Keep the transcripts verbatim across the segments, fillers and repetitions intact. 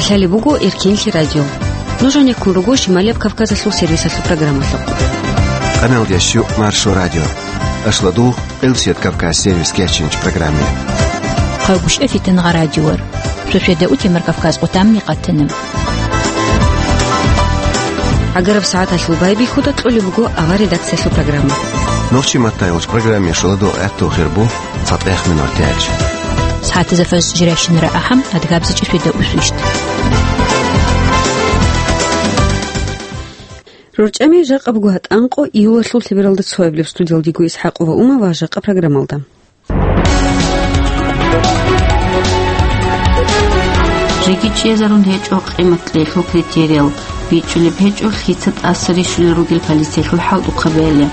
Лъалеб буго Эркенлъи радио. Нуж гьанеккун руго Шималияб Кавказалъул сервисалъул программалъухъ. Къаналдияс щу Маршо радио. Ашладугъ Элсият Кавказ сервис кечинч программе. Хъагушев Фитангъа радиор. Суседа утемар Кавказ къутамни къатана. ГӀагараб сагӀаталъул байбихьуда кьолеб буго авар редакциялъул программа. Нохчи маттайгъуч программе шуладо гӀатту хирбу. Фатех минор тяч. СагӀатазда фаз жиращинара ахӀам, адгабзичӀи светда усвищт. РорчӀами жакъа буго гьатӀанкъо июлалъул лъебералда цоабилеб. Студиялдего ИсхӀакъова Ума ва жакъа программалда. Жеги чӀезарун гьечӀо къимат кьеялъул критериял, бичӀчӀулеб гьечӀо лъица тӀаса рищулел ругел полициялъул хӀалтӀухъабиялъ,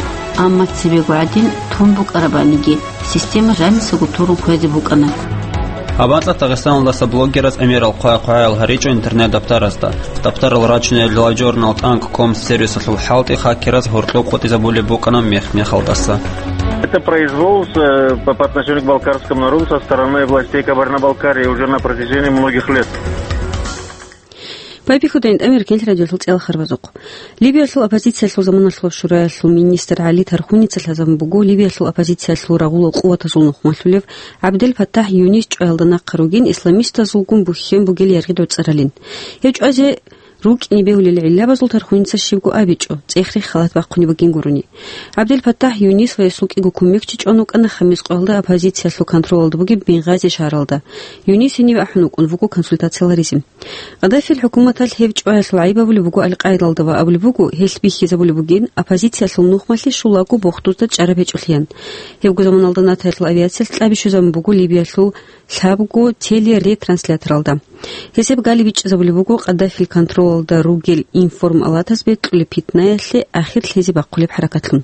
амма цебего гӀадин тун букӀарабаниги, система жанисаго турун хвезе букӀана. Гьаб анцӀа Дагъистаналдаса блогераз гӀемерал хъвай-хъваял гьаричӀо интернет-даптаразда. Даптарал рачунел LiveJournal точка com сервисалъул хӀалтӀи хакераз гьоркьоб къотӀизабулеб букӀана мех-мехалдаса. Это произвол с, э, по, по отношению к балкарскому народу со стороны властей Кабардино-Балкарии уже на протяжении многих лет. Байбихьуда гьанже Эркенлъи радиолъул цӀелхарбазухъ. Ливиялъул оппозициялъул заманалъул шураялъул министр ГӀали Тархуница лъазабун буго Ливиялъул оппозициялъул рагъулал къуватазул нухмалъулев ГӀабдел Фаттахь Юнис чӀваялда нахъа ругин исламистазулгун бухьен бугел яргъи дорцӀаралин. Гьев чӀвазе рукӀине бегьулел гӀиллабазул Тархуница щибго абичӀо, цӀех-рех халат бахъунеб бугин гурони. ГӀабдел Фаттахь Юнис ва гьесул кӀиго кумекчи чӀван вукӀана Хамис къоялда оппозициялъул контролалда бугеб Бенгъази шагьаралда. Юнис гьениве ахӀун вукӀун вуго консультациялъ гьаризе. Къаддафил хӀукуматалъ гьев чӀваялъул гӀайиб абулеб буго Ал-Къаидалда ва абулеб буго, гьелъ бихьизабулеб бугин оппозициялъул нухмалъи щулаго бохдузда чӀараб гьечӀолъиян. Гьебго заманалда НАТОялъул авиациялъ кьаби щвезабун буго Ливиялъул лъабго телеретранслятор. Гьесие гали бичӀчӀизабулеб буго Къаддафил контролалда ругел информалатаз бекьулеб питнаялъе ахир лъезе бахъулеб хӀаракатлъун.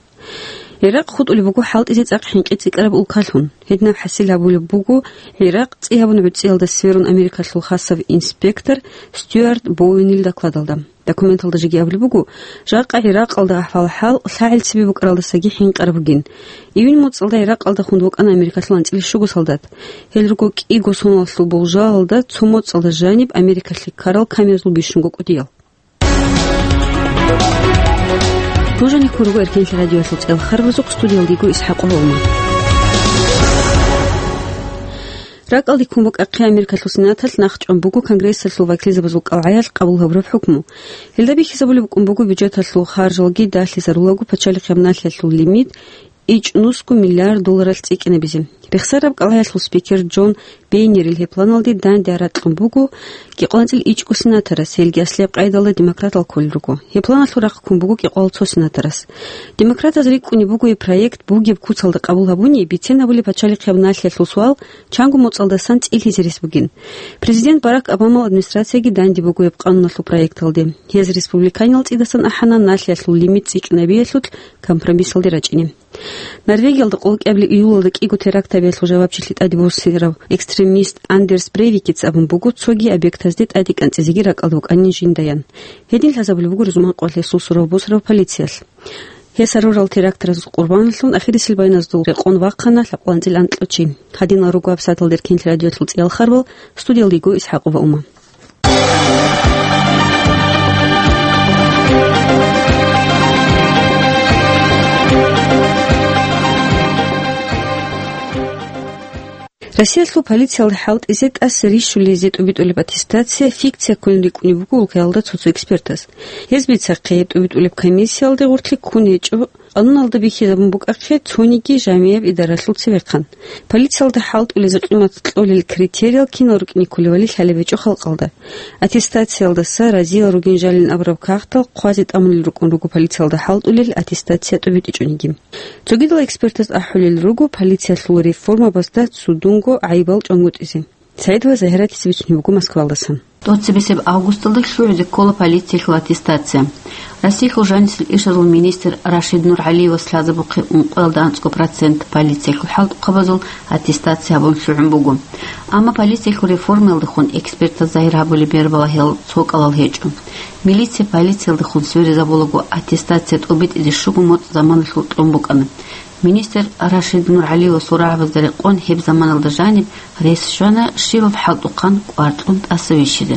Иракъ хутӀулеб буго хӀалтӀизе цӀакъ хӀинкъи цӀикӀкӀараб улкалъун. Гьединаб хӀасил гьабулеб буго Иракъ цӀи гьабун гӀуцӀиялда сверун Америкалъул хасав инспектор Стюарт Боуэнил докладалда. Документалда жеги абулеб буго, жакъа Иракъалда ахӀвал-хӀал лъагӀел цебе букӀаралдасаги хӀинкъараб бугин. Июнь моцӀалда Иракъалда хун вукӀана Америкалъул анцӀила щуго солдат. Гьел руго кӀиго соналъул болжалалда цо моцӀалда жаниб Америкалъе ккарал камерзул бищунго кӀудиял. Нуж гьанеккун руго Эркенлъи радиоялъул цӀелхарбазухъ, студиялдего ИсхӀакъова Ума. РакӀалде ккун букӀахъе Америкалъул Сенаталъ нахъчӀван буго Конгрессалъул вакилзабазул кӀалгӀаялъ къабул гьабураб хӀукму. Гьелда бихьизабулеб букӀун буго бюджеталъул харжалги дагьлъизарулаго пачалихъияб налъиялъул лимит ичӀнусго миллиард долларалъ цӀикӀкӀинабизе. Рехсараб кӀалгӀаялъул спикер Джон Бейнерил гьеб планалде данде ракьун буго кӀикъоялда анцӀила ичӀго сенаторас, гьелги аслияб къайдалда демократал кколел руго. Гьеб планалъул рахъ ккун буго кӀикъоялда цо сенаторас. Демократаз рикӀкӀунеб буго гьеб проект бугеб куцалда къабул гьабуни, бицен абулеб пачалихъияб налъиялъул суал чанго моцӀалдасан цӀилъизе рес бугин. Президент Барак Обамал администрацияги данде буго гьеб къануналъул проекталде. Гьез республиканиял цӀидасан ахӀана налъиялъул лимит цӀикӀкӀинабиялъулъ компромиссалде рачӀине. Норвегиялда къолкӀабилеб июлалда кӀиго теракт гьабиялъул жавабчилъи тӀаде босарав экстремист Андерс Брейвикица абун буго цоги объектазде тӀаде кӀанцӀизеги ракӀалда вукӀанин жиндаян. Гьедин лъазабулеб буго рузман къоялъ гьесул сурав босарав полициялъ. Гьес гьарурал терактаразул къурбаналъун ахирисел байназдул рекъон вахъана лъабкъоялда анцӀила анкьачи. Гьадинал руго гьабсагӀаталда Эркенлъи радиоялъул цӀиялхарбал, студиялдего ИсхӀакъова Ума. Россиялъул полициялда хӀалтӀизе тӀаса рищулизе тӀубитӀулеб аттестация фикция кколин рикӀкӀунеб буго улкаялда цо-цо экспертаз. Гьез бицахъе, тӀубитӀулеб комиссиялде гъорлъ ккун гьечӀо, къануналда бихьизабун букӀахъе цониги жамияб идаралъул цевехъан. Полициялда хӀалтӀулезе къимат кьолел критериял кинал рукӀине кколевали лъалеб гьечӀо халкъалда. Аттестациялдаса разиял ругин жалин абураб кагътал хъвазе тӀамулел рукӀун руго полициялда хӀалтӀулел аттестация тӀубитӀичӀониги. Цогидал экспертаз ахӀулел руго полициялъул реформабазда цудунго гӀайибал чӀвангутӀизе. Саидова Загьиратица бицунеб буго Москвалдасан. ТӀоцебесеб августалда лъугӀизе ккола полициялъул аттестация. Россиялъул жанисел ишазул министр Рашид Нургьалиевас лъазабухъе ункъоялда анцӀго процент полициялъул хӀалтӀухъабазул аттестация гьабун лъугӀун буго. Амма полициялъул реформаялдехун экспертаз загьир гьабулеб бер балагьал цо кӀалал гьечӀо. Милиция полициялдехун сверизабулаго аттестация тӀубитӀизе щуго моцӀ заманалъул кьун букӀана. Министр Рашид Нургьалиевасул рагӀабазда рекъон гьеб заманалда жаниб рес щвана щибаб хӀалтӀухъан кӀвар кьун тӀаса вищизе.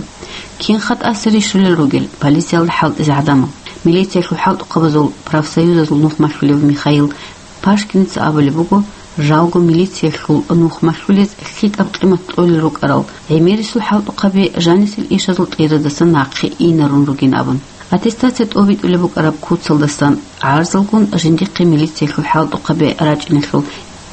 Кинха тӀаса рищулел ругел полициялда хӀалтӀизе гӀадамал? Милициялъул хӀалтӀухъабазул профсоюзазул нухмалъулев Михаил Пашкиница абулеб буго, жалго милициялъул нухмалъулез лъикӀаб къимат кьолел рукӀарал гӀемерисул хӀалтӀухъаби жанисел ишазул кьерадасан нахъе инарун ругин абун. Аттестация тӀобитӀулеб букӀараб куцалдасан гӀарзалгун жиндихъе милициялъул хӀалтӀухъаби рачӀиналъул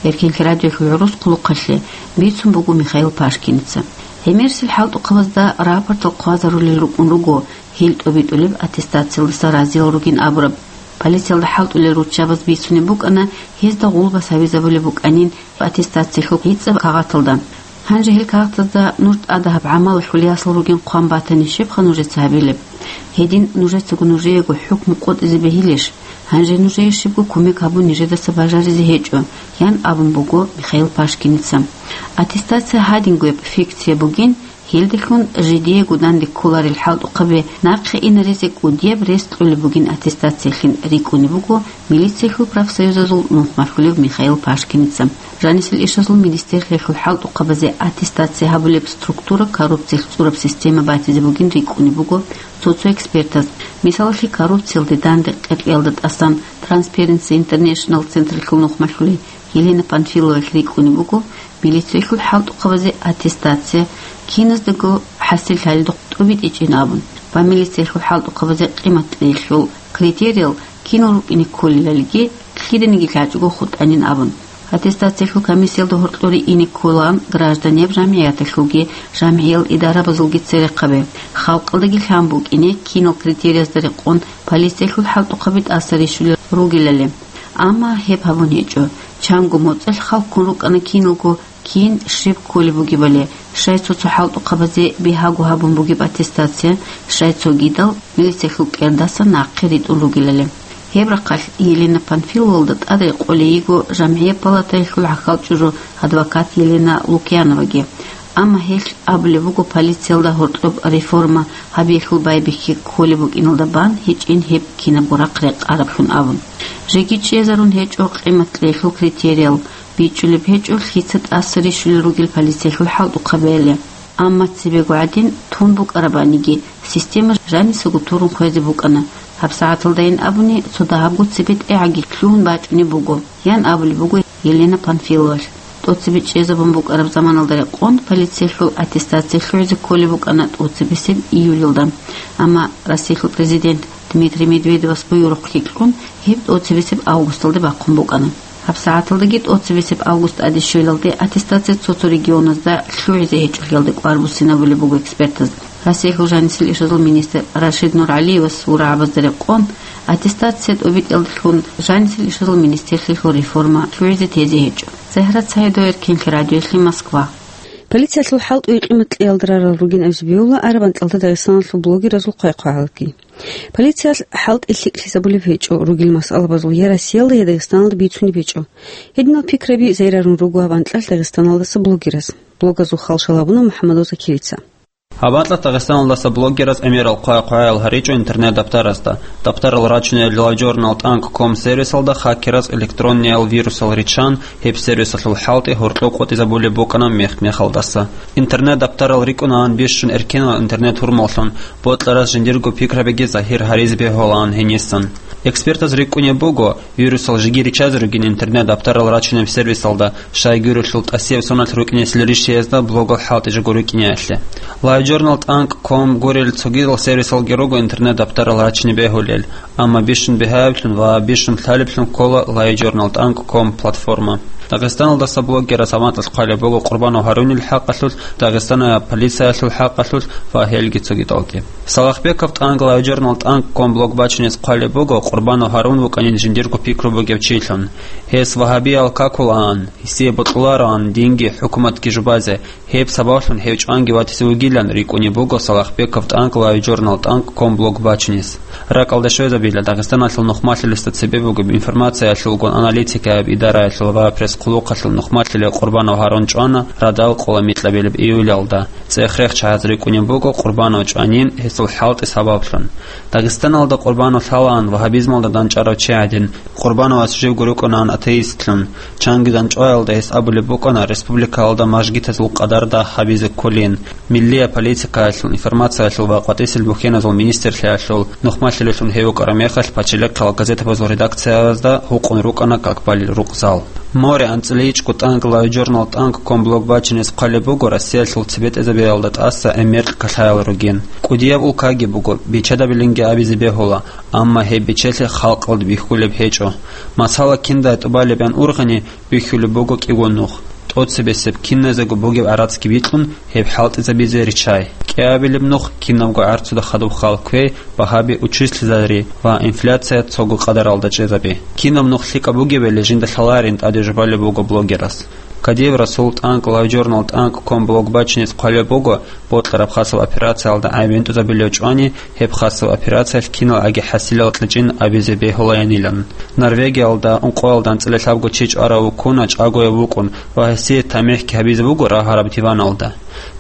Эркенлъи радиоялъул гӀурус хъулухъалъе бицун буго Михаил Пашкиница. ГӀемерисел хӀалтӀухъабазда рапортал хъвазарулел рукӀун руго гьел тӀобитӀулеб аттестациялдаса разиял ругин абураб. Полициялда хӀалтӀулел руччабаз бицунеб букӀана, гьезда гъулбас гьабизабулеб букӀанин аттестациялъул гӀицӀаб кагъаталда. Гьанже гьел кагъатазда нуж тӀадаб гӀамалалъул ясал ругин хъван батани, щибха нужеца гьабилеб? Гьедин нужецаго нужеего хӀукму къотӀизе бегьилищ? Гьанже нужее щибго кумек гьабун нижедаса бажаризе гьечӀо, ян абун буго Михаил Пашкиница. Аттестация гьадингояб фикция бугин, гьелдалъун жидеего данде кколарел хӀалтӀухъаби нахъе инаризе кӀудияб рес кьолеб бугин аттестациялъин рикӀкӀунеб буго милициялъул профсоюзазул нухмалъулев Михаил Пашкиница. Жанисел ишазул министерствоялъул хӀалтӀухъабазе аттестация гьабулеб структура коррупциялъ цӀураб система батизе бугин рикӀкӀунеб буго цо-цо экспертаз. Мисалалъе, коррупциялде данде къеркьиялда тӀасан Transparency International централъул нухмалъулей Елена Панфиловалъ рикӀкӀунеб буго милициялъул хӀалтӀухъабазе аттестация киназдаго хӀасиллъалидухъ тӀобитӀичӀин абун ва милициялъул хӀалтӀухъабазе къимат кьеялъул критериял кинал рукӀине кколелалги, лъиданиги лъачӀого хутӀанин абун. Аттестациялъул комиссиялда гьоркьоре ине кколаан гражданиял, жамгӀияталъулги, жамгӀиял идарабазулги церехъаби. Халкъалдаги лъан букӀине кинал критериязда рекъон полициялъул хӀалтӀухъаби тӀаса рищулел ругелали. Амма гьеб гьабун гьечӀо. Чанго моцӀалъ хал ккун рукӀана киналго кин щиб кколеб бугебали, щай цо-цо хӀалтӀухъабазе бигьаго гьабун бугеб аттестация, щай цогидал милициялъул кӀердасан нахъе ритӀун ругелали. Гьеб рахъалъ Елена Панфиловалда тӀад рекъолей йиго жамгӀияб палатаялъул гӀахьал чӀужу адвокат Елена Лукьяноваги. Амма гьелъ абулеб буго, полициялда гьоркьоб реформа гьабиялъул байбихьи кколеб букӀиналда бан гьечӀин гьеб кинабго рахъ рекъараблъун абун. Жеги чӀезарун гьечӀо къимат кьеялъул критериял, бичӀчӀулеб гьечӀо лъица тӀаса рищулел ругел полициялъул хӀалтӀухъабиялъе. Амма цебего гӀадин тун букӀарабаниги, система жанисаго турун хвезе букӀана. ГьабсагӀаталдайин абуни, цо дагьабго цебетӀегӀаги лъугьун бачӀунеб буго, ян абулеб буго Елена Панфиловалъ. ТӀоцебе чӀезабун букӀараб заманалда рекъон полициялъул аттестация лъугӀизе кколеб букӀана тӀоцебесеб июльалда. Амма Россиялъул президент Дмитрий Медведевас буюрухъ кьикьун гьеб тӀоцебесеб августалде бахъун букӀана. ГьабсагӀаталдаги тӀоцебесеб август тӀаде щвелалде аттестация цо-цо регионазда лъугӀизе гьечӀолъиялде кӀвар буссинабулеб буго экспертаз. Россиялъул жанисел ишазул министр Рашид НургӀалиевас гьурагӀабазда рекъон, аттестация тӀобитӀиялдалъун жанисел ишазул министрлъиялъул реформа лъугӀизе тезе гьечӀо. Загьрат Саидова, Эркенлъи радиоялъе, Москва. Полициялъул хӀалтӀуе къимат кьеялда рарал ругин абизе бегьула араб анкьалда Дагъистаналъул блогеразул хъвай-хъвагӀалги. Полициялъ хӀалтӀи лъикӀлъизабулеб гьечӀо, ругел масъалабазул я Россиялда, я Дагъистаналда бицунеб гьечӀо. Гьединал пикраби зайрарун руго гьаб анкьалъ Дагъистаналдаса блогераз. Блогазул хал шалабуна МухӀаммад Оза Килица. Гьаб анкьалъ Дагъистаналдаса блогераз гӀемерал хъвай-хъвагӀаял гьаричӀо интернет-даптарасда. Даптарал рачунел LiveJournal точка com сервисалда хакераз электронниял вирусал риччан, гьеб сервисалъул хӀалтӀи гьоркьоб къотӀизабулеб букӀана мех-мехалдаса. Интернет-даптарал рикӀкӀунаан бищун эркенал интернет-гьурмаллъун, бокьарас жиндирго пикрабиги загьир гьаризе бегьулаан гьенисан. Экспертаз рикӀкӀунеб буго, вирусал жеги риччазе ругин интернет-даптарал рачунеб сервисалда, щайгурелъул тӀасияб соналъ рукӀинесел рищиязда блогал хӀалтӀи жо рукӀиниялъе. LiveJournal точка com гурел цогидал сервисалги руго интернет-даптарал рачине бегьулел, амма бищун бигьаблъун ва бищун лъалеблъун ккола LiveJournal точка com платформа. Дагъистаналдаса блогераз гьаб анкьалъ хъвалеб буго Къурбанов Гьарунил хӀакъалъулъ, Дагъистаналъ полициялъул хӀакъалъулъ ва гьелги цогидалги. Салахбеков точка LiveJournal точка com блог бачунез хъвалеб буго Къурбанов Гьарун вукӀанин жиндирго пикру бугев чилъун. Гьес вагьабиял какулаан, гьесие бокьулароан динги хӀукуматги жубазе, гьеб сабаблъун гьев чӀванги ватизе вугилан рикӀкӀунеб буго Салахбеков точка LiveJournal точка com блог бачунез. РакӀалде щвезабила, Дагъистаналъул нухмалъулесда цебе бугеб информациялъулгун аналитикаяб идараялъул ва пресс-хъулухъалъул нухмалъулев Къурбанов Гьарун чӀвана радал къола микьабилеб июлялда. ЦӀех-рех чагӀаз рикӀкӀунеб буго Къурбанов чӀванин гьесул хӀалтӀи сабаблъун. Дагъистаналда Къурбанов лъалаан вагьабизмалда дандчӀварав чи гӀадин, Къурбановас живго рукӀунаан атеистлъун. Чанги дандчӀваялда гьес абулеб букӀана республикаялда мажгитазул къадар дагь гьабизе кколин. Миллияб политикаялъул, информациялъул ва къватӀисел бухьеназул министрлъиялъул нухмалъилелъун гьев вукӀараб мехалъ, пачалихъал газетабазул редакциязда гьукъун рукӀана как балел рукъзал. Море анцӀила ичӀго тӀанкӀ лайв-журнал «ТӀанкӀ» ккун блог бачинес хъвалеб буго Россиялъул цебетӀезабиялда тӀаса гӀемер ккалъаял ругин. КӀудияб улкаги буго, бичадабилинги абизе бегьула, амма гьеб бичелъи халкъалда бихьулеб гьечӀо. Масала, киндай тӀубалеб ян ургъани, бихьулеб буго кӀиго нух. ТӀоцебесеб киназего бугеб гӀарацги бикьун, гьеб хӀалтӀизабизе риччай. КӀиабилеб нух кинабго гӀарцуда хадуб хал кквей, багьаби учислъизари ва инфляция цого къадаралда чӀезаби. Кинаб нух лъикӀаб бугебали жинда лъаларин тӀаде жубалеб буго блогерас. Кадиев Расул «ТӀанкӀ» лайв-журнал «ТӀанкӀ» ккун блог бачинес хъвалеб буго, бокьараб хасаб операциялда гӀайиб гӀунтӀизабулев чӀвани, гьеб хасаб операциялъ киналгӀаги хӀасилал кьечӀин абизе бегьулаянилан. Норвегиялда ункъоялда анцӀила лъабго чи чӀварав вуккуна чӀагояв вукӀун ва гьесие тамихӀги гьабизе буго рагьараб диваналда.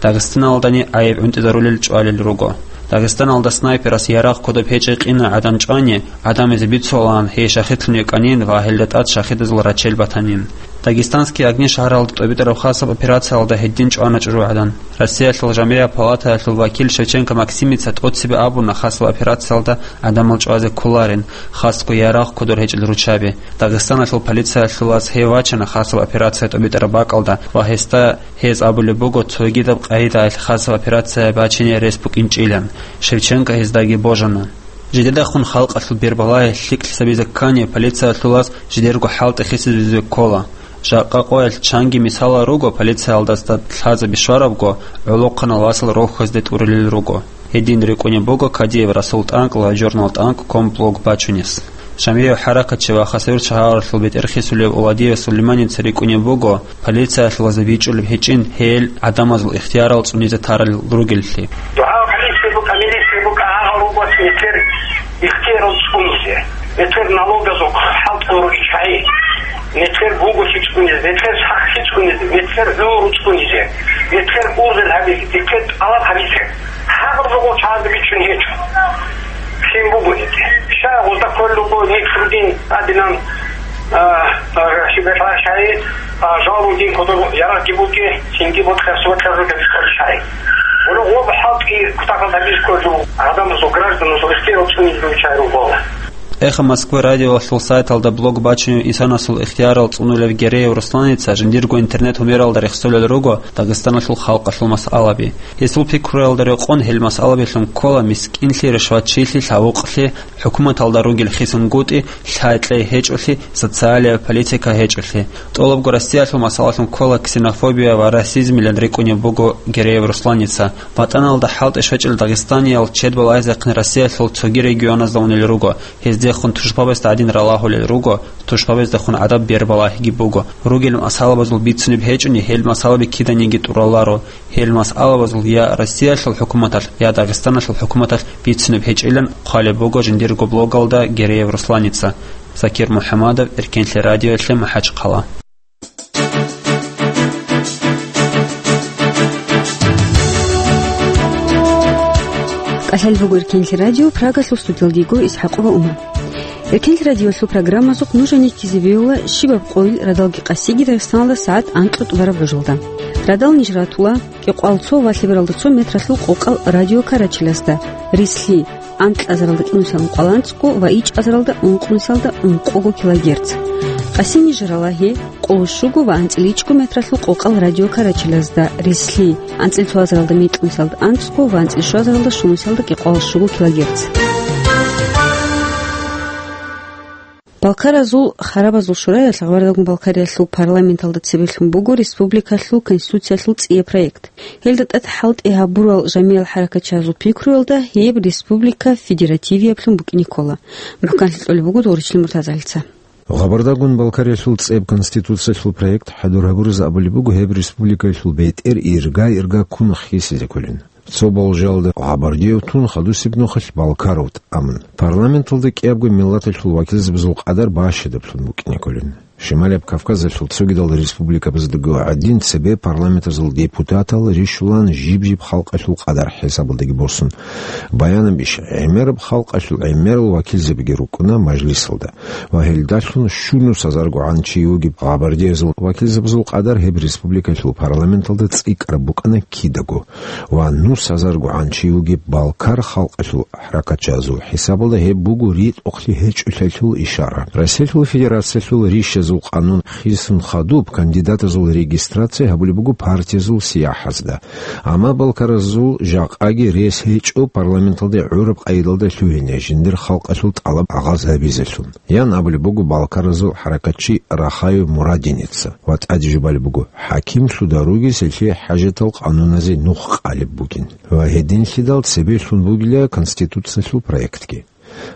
Дагъистаналдани гӀайиб гӀунтӀизарулел чӀвалел руго. Дагъистаналда снайперас ярагъ кодоб гьечӀей къина гӀадан чӀвани, гӀадамазе бицулаан гьей шахидлъун йикӀанин ва гьелда тӀад шахидазул рачел батанин. «Дагестанские огни» шагьаралда тӀобитӀараб хасаб операциялда гьедин чӀвана чӀужугӀадан. Россиялъул жамгӀияб палатаялъул вакил Шевченко Максимица тӀоцебе абуна хасаб операциялда гӀадамал чӀвазе кколарин, хасго ярагъ кодор гьечӀел руччаби. Дагъистаналъул полициялъулаз гьев вачана хасаб операция тӀобитӀараб бакӀалда ва гьесда гьез абулеб буго цогидаб къагӀидаялъ хасаб операция бачине рес букӀинчӀилан. Шевченко гьездаги божана. Жидедахун халкъалъул бербалагьи лъикӀлъи сабизе ккани, полициялъулаз жидерго хӀалтӀи хисизабизе ккола. Жакъа къоялъ чанги мисалал руго полициялдаса лъазаби щварабго гӀолохъанал васал рохьазде тӀурулел руго. Гьедин рикӀкӀунеб буго Кадиев Расул «ТӀанкӀ» лайв-журнал «ТӀанкӀ» ккун блог бачунес. ЖамгӀияб хӀаракатчи ва Хасавюрт шагьаралъул бетӀерхисулев Уладиев Сулейманица рикӀкӀунеб буго, полициялъулазда бичӀчӀулеб гьечӀин гьел гӀадамазул ихтиярал цӀунизе тарал ругеллъи. ДугӀа гьабизе букӀа, милиция букӀа, гьагъал руго нилъер ихтиярал цӀунизе, нилъер налогазул хӀалтӀул руччаби, нилъер буголъи цӀунизе, нилъер сахлъи цӀунизе, нилъер гӀумру цӀунизе, нилъер ургъел гьабизе, нилъер тӀалаб гьабизе. Гьагъаб руго чагӀазда бичӀчӀун гьечӀо. Лъим буго гьеги. Щай гъузда кколел руго нилъ ругин абилан, а, а, щиб бетӀер щай, а, жал ругин кодоб ярагъги бугин, цинги бокьа суратлъазул гьабизе кколел щай. Гъуро гъоб хӀалтӀи кутакалда гьабизе кколел руго, гӀадамазул, гражданазул ихтияр цӀунизе руччай руго. «Эхо Москвы» радиоялъул сайталда блог бачунев инсанасул ихтиярал цӀунулев Гереев Русланица жиндирго интернет-гьумералда рехсолел руго Дагъистаналъул халкъалъул масъалаби. Гьесул пикруялда рекъон гьел масъалабилъун ккола мискинлъи, ришватчилъи, лъавукълъи, хӀукуматалда ругел хисунгутӀи, лъай-кьей гьечӀолъи, социалияб политика гьечӀолъи. ТӀолабго Россиялъул масъалалъун ккола ксенофобия ва расизмилан рикӀкӀунеб буго Гереев Русланица. ВатӀаналда хӀалтӀи щвечӀел дагъистаниял чед балагьизехъин Россиялъул цоги регионазда унел руго. Гьездехун тушбабазда гӀадин ралагьулел руго, тушбабаздехун гӀадаб бербалагьиги буго. Ругел масъалабазул бицунеб гьечӀони, гьел масъалаби киданиги тӀураларо. Гьел масъалабазул я Россиялъул хӀукуматалъ, я Дагъистаналъул хӀукуматалъ бицунеб гьечӀилан хъвалеб буго жиндирго блогалда Гереев Русланица. Закир МухӀамадов, Эркенлъи радиоялъе, МахӀачхъала. КӀалъал буго Эркенлъи радио, Прагалъул студиялдего ИсхӀакъова Ума. Эркенлъи радиолъул программазухъ нуж гьанив ккезе бегьула щибаб къойил радалги къасиги Дагъистаналда сагӀат анкьго тӀубараб гӀужалда. Радал ниж ратула кӀикъоялда цо ва лъебералда цо метралъул къокъал радиокарачилазда, рислъи, анкьазаралда кӀинусиялда ункъоялда анцӀго ва ичӀазаралда ункънусиялда ункъого килогерц. Къасим ниж рала гьеб къоло щуго ва анцӀила ичӀго метралъул къокъал радиокарачилазда, рислъи, анцӀила цоазаралда микьнусиялда анцӀго ва анцӀила щуазаралда щунусиялда кӀикъоялда щуго килогерц. Балкаразул харабазул шураялъ Гъабардагун Балкариялъул парламенталда цебелъун буго республикалъул конституциялъул цӀияб проект. Гьелда тӀад хӀалтӀи гьабурал жамигӀал хӀаракатчиязул пикруялда гьеб республика федеративиаблъун букӀине ккола. МухӀканлъи кьолеб буго Дугъричлъи Муртазалица. Гъабардагун Балкариялъул цӀеб конституциялъул проект хӀадур гьабуразе абулеб буго гьеб республикаялъул бетӀер ирга-ирга ккун хисизе кколин. Цо болжалда Гъабардиев тун, хадусеб нухалъ Балкаров тӀамун. Парламенталда кӀиябго миллаталъул вакилзабазул къадар бащадаблъун букӀине кколин. Шималияб Кавказалъул цогидал республикабаздаго гӀадин цебе парламентазул депутатал рищулан жиб-жиб халкъалъул къадар хӀисабалдаги босун. Баянаб иш гӀемераб халкъалъул гӀемерал вакилзабиги рукӀуна мажлисалда. Ва гьелдалъун щунус гьазаргогӀан чи вугеб гъабардиязул вакилзабазул къадар гьеб республикалъул парламенталда цӀикӀкӀараб букӀана кидаго. Ва нус гьазаргогӀан чи вугеб балкар халкъалъул хӀаракатчазул хӀисабалда гьеб буго ритӀухълъи гьечӀолъиялъул ишара. Россиялъул Федерациялъул рищазул къанун хисун хадуб кандидатазул регистрация гьабулеб буго партиязул сияхӀазда. Амма балкаразул жакъаги рес гьечӀо парламенталде гӀураб къайдалда лъугьине жиндир халкъалъул тӀалаб гӀагъаз гьабизелъул. Ян абулеб буго балкаразул хӀаракатчи Рахаев Мурадиница ва тӀаде жубалеб буго, хӀакимлъуда ругес гьелъие хӀажатал къануназе нух къалеб бугин. Ва гьединлъидал цебе лъун бугила Конституциялъул проектги.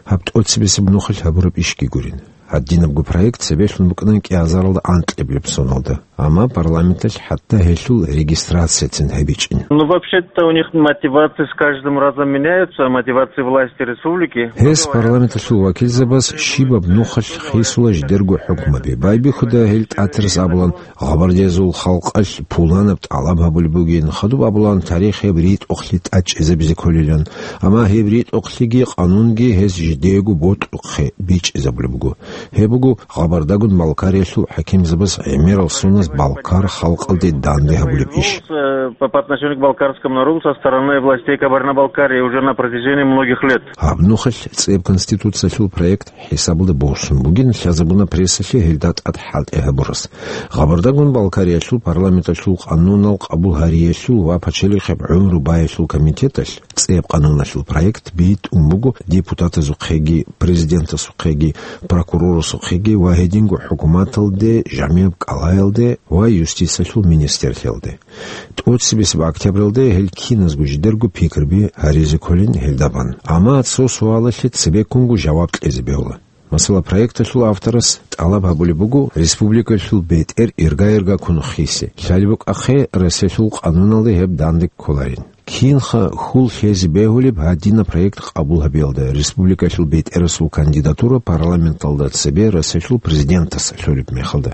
Гьаб тӀоцебесеб нухалъ гьабураб ишги гурин. Гьадинабго проект цебе лъун букӀана кӀиазаралда анкьабилеб соналда. Амма парламенталъ хӀатта гьелъул регистрацияцин гьабичӀин. Ну, вообще-то у них мотивации с каждым разом меняются, мотивации власти республики. Гьес парламенталъул вакилзабаз щибаб нухалъ хисула жидерго хӀукмаби. Байбихьуда гьел тӀатирас абулан, гъабардиязул халкъалъ пуланаб тӀалаб гьабулеб бугин, хадуб абулан тарихияб ритӀухълъи тӀадчӀезабизе кколилан. Амма гьеб ритӀухълъиги къанунги гьез жидеего бокьухъе бичӀчӀизабулеб буго. Гьеб буго гъабардагун Балкариялъул хӀакимзабаз гӀемерал соназ балкар халкъалде данде гьабулеб иш. Э, по, по отношению к балкарскому народу со стороны властей Кабардино-Балкарии уже на протяжении многих лет. Гьаб нухалъ цеб Конституциялъул проект хӀисабалда босун бугин лъазабуна прессалъе гьелда тӀад хӀалтӀи гьабурас. Гъабардагун Балкариялъул парламенталъул къанунал къабул гьариялъул ва пачалихъеб гӀумру баялъул комитеталъ цеб къануналъул проект битӀун буго депутатазухъеги, президентасухъеги, прокурорасухъеги ва гьединго хӀукуматалде, жамияб кӀалаялде ва юстициялъул министрлъиялде. ТӀоцебесеб октябралде гьел киназго жидерго пикруби гьаризе кколин гьелда бан. Амма цо суалалъе цебеккунго жаваб кьезе бегьула. Масала, проекталъул авторас тӀалаб гьабулеб буго республикалъул бетӀер ирга-иргаккун хисе. Лъалеб букӀахъе, Россиялъул къануналде гьеб данде кколарин. Кинха хьул лъезе бегьулеб гьадинаб проект къабул гьабиялда, республикалъул бетӀерасул кандидатура парламенталда цебе Россиялъул президентас лъолеб мехалда?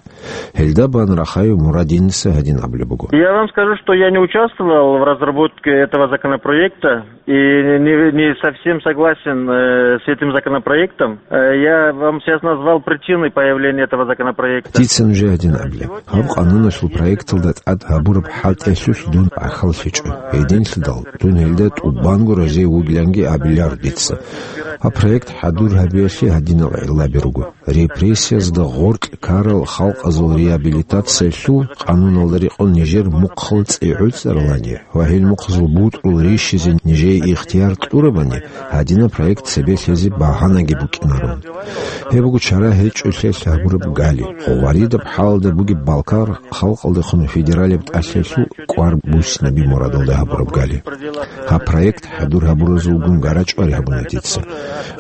Гьелда бан Рахаев Мурадиница гьадин абулеб буго. Я вам скажу, что я не участвовал в разработке этого законопроекта и не, не совсем согласен, э, с этим законопроектом. Э, я вам сейчас назвал причины появления этого законопроекта. Дица нужее гьадин абилеб. Гьаб къануналъул проекталда тӀад гьабураб хӀалтӀиялъулъ дун бахъал лъечӀо. Гьединлъидал дун гьелда тӀубанго разие вугиланги абиларо дица. Гьаб проект хӀадур гьабиялъе гьадинал гӀиллаби руго. Репрессиязда гъоркь ккарал халкъазул реабилитациялъул къануналда рекъон нижер мухъал цӀи гӀуцӀаралани ва гьел мухъазул бутӀрул рищизе нижее ихтияр кьурабани, гьадинаб проект цебе лъезе багьанаги букӀинаро. Гьеб буго чара гьечӀолъиялъ гьабураб гали. Гъваридаб хӀалалда бугеб балкар халкъалдехун федералияб тӀалъиялъул кӀвар буссинаби мурадалда гьабураб гали. Гьаб проект хӀадур гьабуразулгун гарачӀвари гьабуна дица.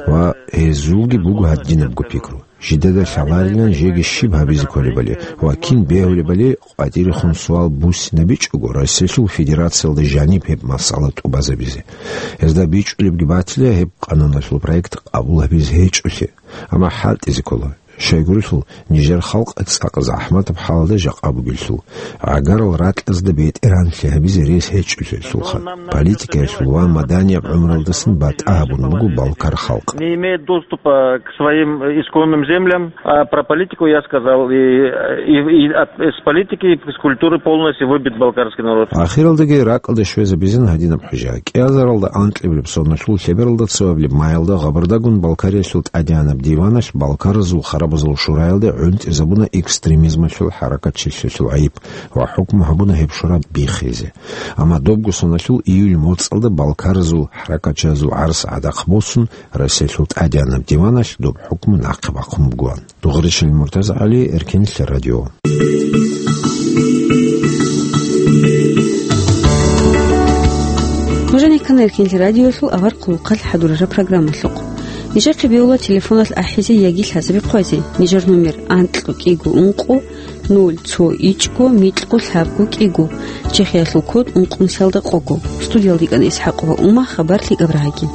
Ва гьезулги буго гьадинабго пикру. Жидеда лъаларилан жеги щиб гьабизе кколебали ва кин бегьулебали къватӀирехун суал буссинабичӀого Россиялъул Федерациялда жаниб гьеб масъала тӀубазабизе. Гьезда бичӀчӀулебги батила гьеб къануналъул проект къабул гьабизе гьечӀолъи, амма хӀалтӀизе ккола. Щайгурелъул, нижер халкъ цӀакъ захӀматаб хӀалалда жакъа бугелъул, гӀагарал ракьазда бетӀергьанлъи гьабизе рес гьечӀолъиялъулха. Политикаялъул ва маданияб гӀумралдасан батӀа гьабун буго балкар халкъ. Не имеет доступа к своим исконным землям, а про политику я сказал, и, и, и от, с политики и с культуры полностью выбит балкарский народ. Ахиралдаги ракӀалде щвезабизин гьадинаб хӀужа. КӀиазаралда анкьабилеб соналъул лъебералда цоабилеб майалда Гъабардагун Балкариялъул тӀадегӀанаб диваналъ Балкаразул харабазул шураялде гӀунтӀизабуна экстремизмалъул хӀаракатчилъиялъул гӀайиб ва хӀукму гьабуна гьеб шура биххизе. Амма добго соналъул июль моцӀалда балкаразул хӀаракатчиязул гӀарс гӀадахъ босун, Россиялъул тӀадегӀанаб диваналъ доб хӀукму нахъе бахъун бугоан. Дугъришил МуртазагӀали, Эркенлъи радио. Нуж гьанир ккана Эркенлъи радиоялъул авар хъулухъалъ хӀадурараб программалъухъ. Нижехъе бегьула телефоналъ ахӀизе яги лъазаби хъвазе. Нижер номер анкьго кӀиго ункъо, ноль цо ичӀго микьго лъабго кӀиго. Чехиялъул код ункънусиялда къого. Студиялда йикӀана ИсхӀакъова Ума, хабар лъикӀаб рагӀаги.